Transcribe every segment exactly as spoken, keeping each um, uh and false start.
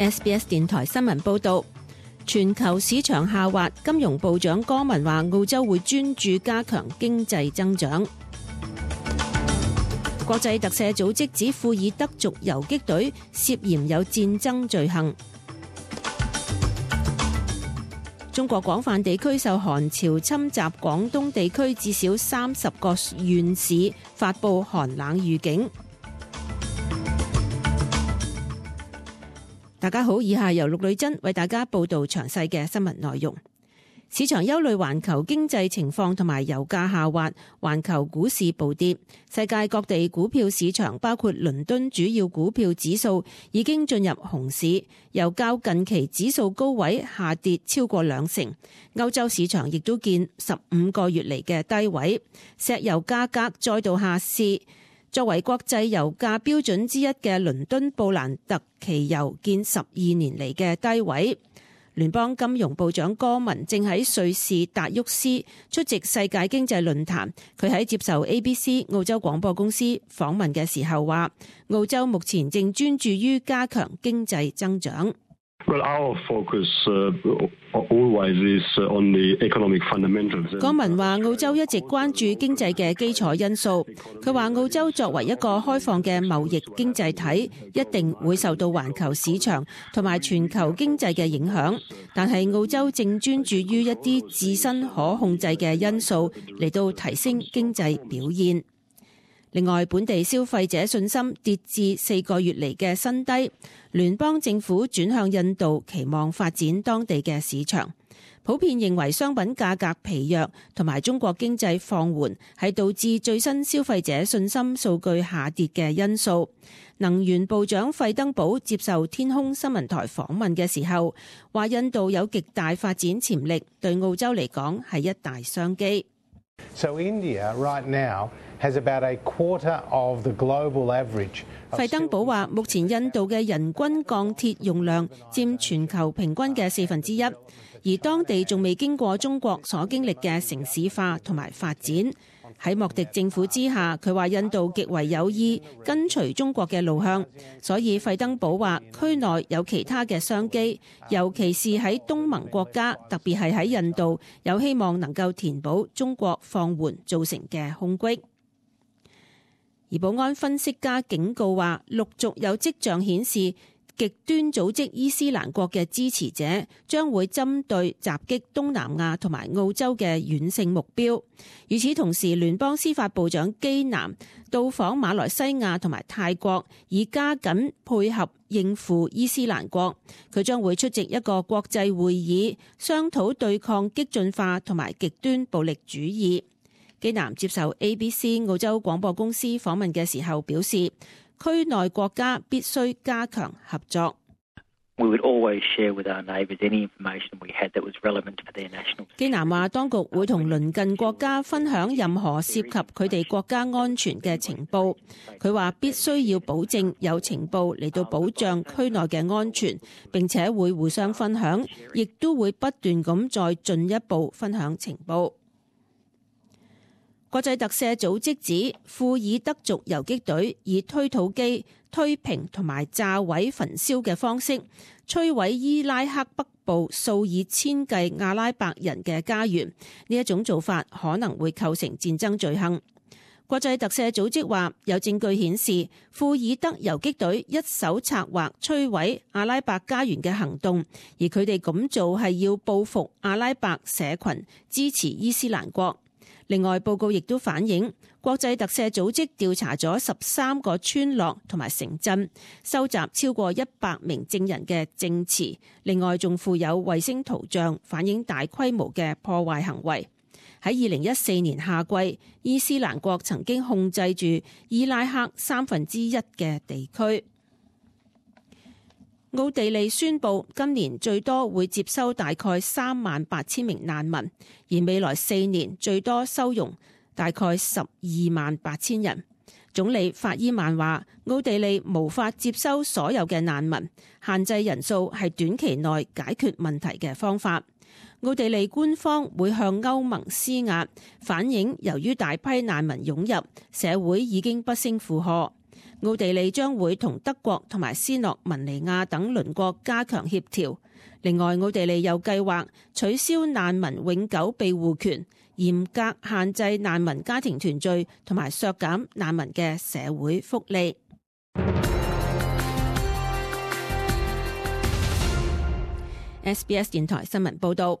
S B S 電台新聞報道，全球市場下滑，金融部長戈文話澳洲會專注加強經濟增長。國際特赦組織指庫爾德族游擊隊涉嫌有戰爭罪行。中國廣泛地區受寒潮侵襲，廣東地區至少三十個縣市發布寒冷預警。大家好，以下由陸女珍為大家報道詳細嘅新聞內容。市場憂慮環球經濟情況同埋油價下滑，環球股市暴跌。世界各地股票市場，包括倫敦主要股票指數已經進入熊市，油較近期指數高位下跌超過兩成。歐洲市場亦都見十五個月嚟嘅低位，石油價格再度下市。作為國際油價標準之一嘅倫敦布蘭特期油見十二年嚟嘅低位。聯邦金融部長戈文正喺瑞士達沃斯出席世界經濟論壇，佢喺接受 A B C 澳洲廣播公司訪問嘅時候話，澳洲目前正專注於加強經濟增長。Well, our focus, uh, always is on the economic fundamentals. 戈文話澳洲一直關注經濟嘅基礎因素。佢話澳洲作為一個開放嘅貿易經濟體，一定會受到環球市場同埋全球經濟嘅影響，但係澳洲正專注於一啲自身可控制嘅因素嚟到提升經濟表現。另外，本地消費者信心跌至四個月嚟嘅新低，聯邦政府轉向印度，期望發展當地嘅市場。普遍認為商品價格疲弱同埋中國經濟放緩係導致最新消費者信心數據下跌嘅因素。能源部長費登堡接受天空新聞台訪問嘅時候話，印度有極大發展潛力，對澳洲嚟講係一大商機。So India right now has about a quarter of the global average. 費登堡話，目前印度嘅人均鋼鐵用量佔全球平均嘅四分之一，而當地仲未經過中國所經歷嘅城市化同埋發展。喺莫迪政府之下，佢話印度極為有意跟隨中國嘅路向，所以費登堡話區內有其他嘅商機，尤其是喺東盟國家，特別係喺印度，有希望能夠填補中國放緩造成嘅空隙。而保安分析家警告話，陸續有跡象顯示極端組織伊斯蘭國嘅支持者將會針對襲擊東南亞同埋澳洲嘅遠性目標。與此同時，聯邦司法部長基南到訪馬來西亞同埋泰國，以加緊配合應付伊斯蘭國。佢將會出席一個國際會議，商討對抗激進化同埋極端暴力主義。基南接受 A B C 澳洲廣播公司訪問嘅時候表示，區內國家必須加強合作。基南話，當局會同鄰近國家分享任何涉及佢哋國家安全嘅情報。佢話必須要保證有情報嚟到保障區內嘅安全，並且會互相分享，亦都會不斷咁再進一步分享情報。國際特赦組織指庫爾德族游擊隊以推土機推平同埋炸毀焚燒嘅方式摧毀伊拉克北部數以千計阿拉伯人嘅家園，呢一種做法可能會構成戰爭罪行。國際特赦組織話，有證據顯示庫爾德游擊隊一手策劃摧毀阿拉伯家園嘅行動，而佢哋咁做係要報復阿拉伯社群支持伊斯蘭國。另外，報告亦都反映，國際特赦組織調查咗十三個村落同埋城鎮，收集超過一百名證人嘅證詞。另外，仲附有衛星圖像，反映大規模嘅破壞行為。喺二零一四年夏季，伊斯蘭國曾經控制住伊拉克三分之一嘅地區。奧地利宣布今年最多會接收大概三萬八千名難民，而未來四年最多收容大概十二萬八千人。總理法伊曼話，奧地利無法接收所有嘅難民，限制人數係短期內解決問題嘅方法。奧地利官方會向歐盟施壓，反映由於大批難民湧入，社會已經不勝負荷。奧地利將會同德國同埋斯洛文尼亞等鄰國加強協調。另外，奧地利又計劃取消難民永久庇護權，嚴格限制難民家庭團聚，同埋削減難民嘅社會福利。S B S 電台新聞報道。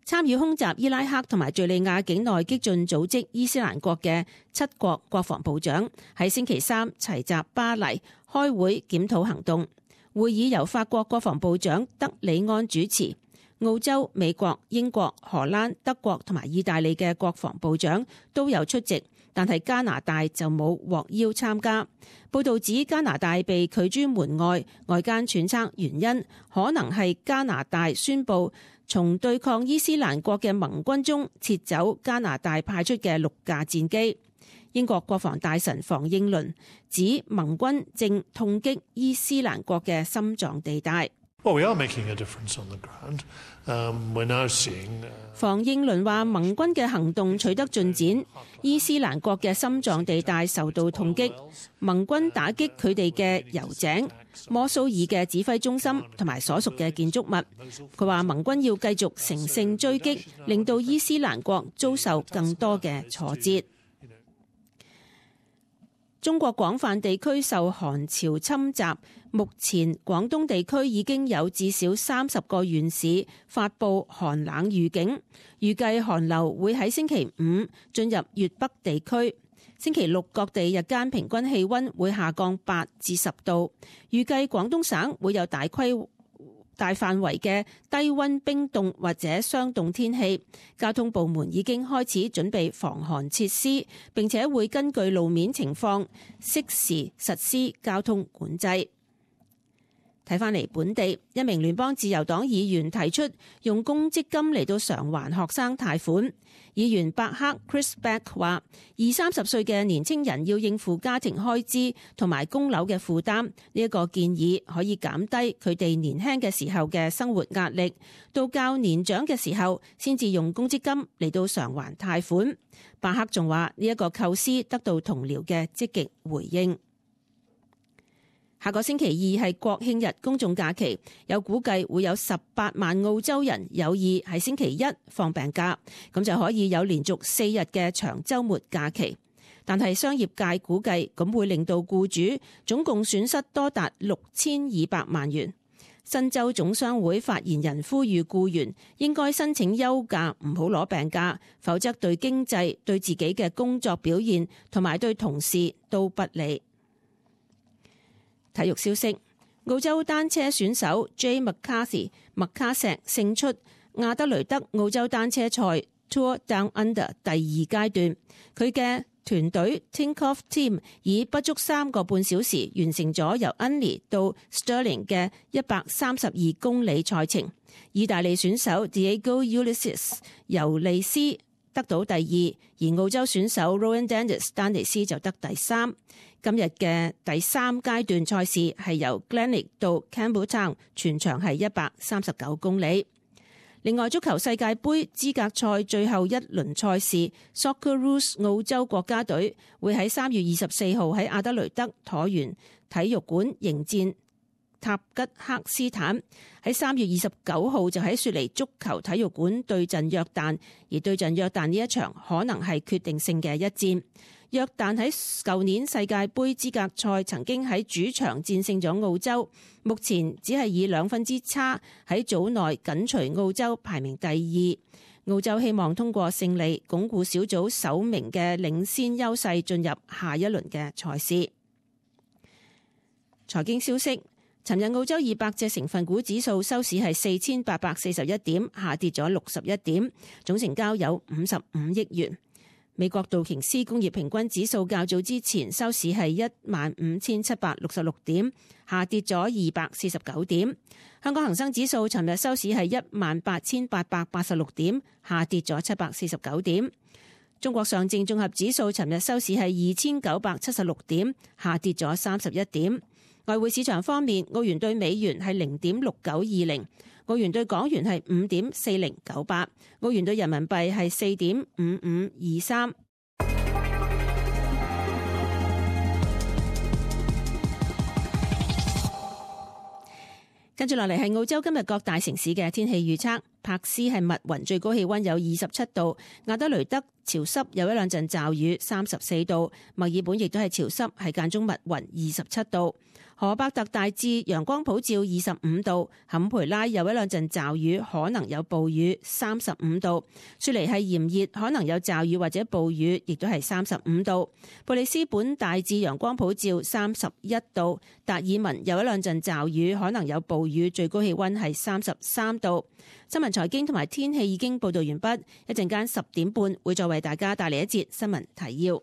參與空襲伊拉克同埋敘利亞境內激進組織伊斯蘭國嘅七國國防部長喺星期三齊集巴黎開會檢討行動。會議由法國國防部長德里安主持，澳洲、美國、英國、荷蘭、德國同埋意大利嘅國防部長都有出席，但係加拿大就冇獲邀參加。報道指加拿大被拒諸門外，外間揣測原因可能係加拿大宣布從對抗伊斯蘭國嘅盟軍中撤走加拿大派出嘅六架戰機。英國國防大臣房應倫指盟軍正痛擊伊斯蘭國嘅心臟地帶。Well, we are making a difference on the ground. Um, we're now seeing. 房應倫話盟軍嘅行動取得進展，伊斯蘭國嘅心臟地帶受到痛擊，盟軍打擊佢哋嘅油井、摩蘇爾嘅指揮中心同埋所屬嘅建築物。佢話盟軍要繼續乘勝追擊，令到伊斯蘭國遭受更多嘅挫折。中國廣泛地區受寒潮侵襲，目前廣東地區已經有至少三十個縣市發布寒冷預警，預計寒流會喺星期五進入粵北地區。星期六各地日間平均氣溫會下降八至十度，預計廣東省會有大規大範圍嘅低溫冰凍或者霜凍天氣。交通部門已經開始準備防寒設施，並且會根據路面情況適時實施交通管制。睇返嚟本地，一名聯邦自由黨議員提出用公積金嚟到償還學生貸款。議員伯克 Chris Beck 話：二三十歲嘅年青人要應付家庭開支同埋供樓嘅負擔，呢一個建議可以減低佢哋年輕嘅時候嘅生活壓力，到較年長嘅時候先至用公積金嚟到償還貸款。伯克仲話呢一個構思得到同僚嘅積極回應。下個星期二係國慶日公眾假期，有估計會有十八萬澳洲人有意喺星期一放病假，咁就可以有連續四日嘅長週末假期。但係商業界估計咁會令到僱主總共損失多達六千二百萬元。新州總商會發言人呼籲僱員應該申請休假，唔好攞病假，否則對經濟、對自己嘅工作表現同埋對同事都不利。體育消息：澳洲單車選手 Jay McCarthy 麥卡錫勝出亞德雷德澳洲單車賽 Tour Down Under 第二階段，佢嘅團隊 Tinkoff Team 以不足三個半小時完成咗由 Unley 到 Stirling 嘅一百三十二公里賽程。意大利選手 Diego Ulisses 尤利斯得到第二，而澳洲選手 Rowan Dennis 丹尼斯就得第三。今日嘅第三階段賽事係由 Glenelg 到 Campbelltown， 全長係一百三十九公里。另外，足球世界盃資格賽最後一輪賽事 Socceroos 澳洲國家隊會喺三月二十四號喺阿德雷德橢圓體育館迎戰塔吉克斯坦，喺三月二十九號就喺雪梨足球體育館對陣約旦，而對陣約旦呢一場可能係決定性嘅一戰。約旦喺舊年世界盃資格賽曾經喺主場戰勝咗澳洲，目前只係以兩分之差喺組內緊隨澳洲排名第二。澳洲希望通過勝利鞏固小組首名嘅領先優勢，進入下一輪嘅賽事。財經消息：尋日澳洲二百隻成分股指數收市係四千八百四十一點，下跌咗六十一點，總成交有五十五億元。美國道瓊斯工業平均指數較早之前收市係一萬五千七百六十六點，下跌咗二百四十九點。香港恒生指數尋日收市係一萬八千八百八十六點，下跌咗七百四十九點。中國上證綜合指數尋日收市係二千九百七十六點，下跌咗三十一點。外匯市場方面，澳元對美元係零點六九二零，澳元對港元係五點四零九八，澳元對人民幣係四點五五二三。跟住落嚟係澳洲今日各大城市嘅天氣預測。柏斯係密雲，最高氣溫有二十七度；亞德雷德潮濕，有一兩陣驟雨，三十四度；墨爾本亦都係潮濕，係間中密雲，二十七度；荷伯特大致陽光普照，二十五度；坎培拉有一兩陣驟雨，可能有暴雨，三十五度；雪梨係炎熱，可能有驟雨或者暴雨，亦都係三十五度；布里斯本大致陽光普照，三十一度；達爾文有一兩陣驟雨，可能有暴雨，最高氣溫係三十三度。新聞財經同埋天氣已經報道完畢，一陣間十點半會再為大家帶嚟一節新聞提要。